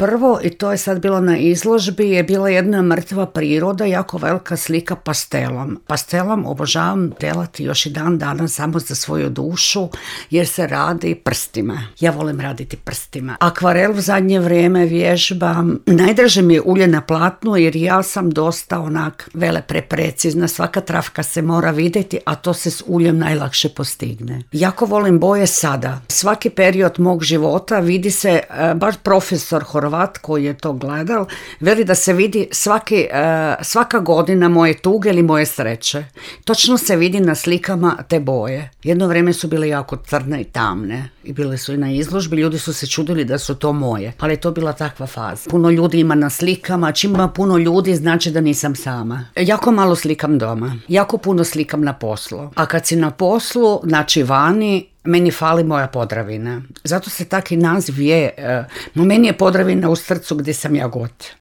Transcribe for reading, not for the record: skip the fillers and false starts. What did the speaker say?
Prvo, i to je sad bilo na izložbi, je bila jedna mrtva priroda, jako velika slika pastelom. Pastelom obožavam delati još i dan danas samo za svoju dušu, jer se radi prstima. Ja volim raditi prstima. Akvarel u zadnje vrijeme vježbam. Najdraže mi je ulje na platnu, jer ja sam dosta onak precizna. Svaka travka se mora vidjeti, a to se s uljem najlakše postigne. Jako volim boje sada. Svaki period mog života vidi se, baš profesor Horvat koji je to gledal, veli da se vidi svaka godina moje tuge ili moje sreće. Točno se vidi na slikama te boje. Jedno vrijeme su bile jako crne i tamne i bile su i na izložbi, ljudi su se čudili da su to moje, ali je to bila takva faza. Puno ljudi ima na slikama, čim ima puno ljudi znači da nisam sama. Jako malo slikam doma, jako puno slikam na poslu, a kad si na poslu, znači vani, meni fali moja Podravina. Zato se taki naziv je, meni je Podravina u srcu gdje sam ja god.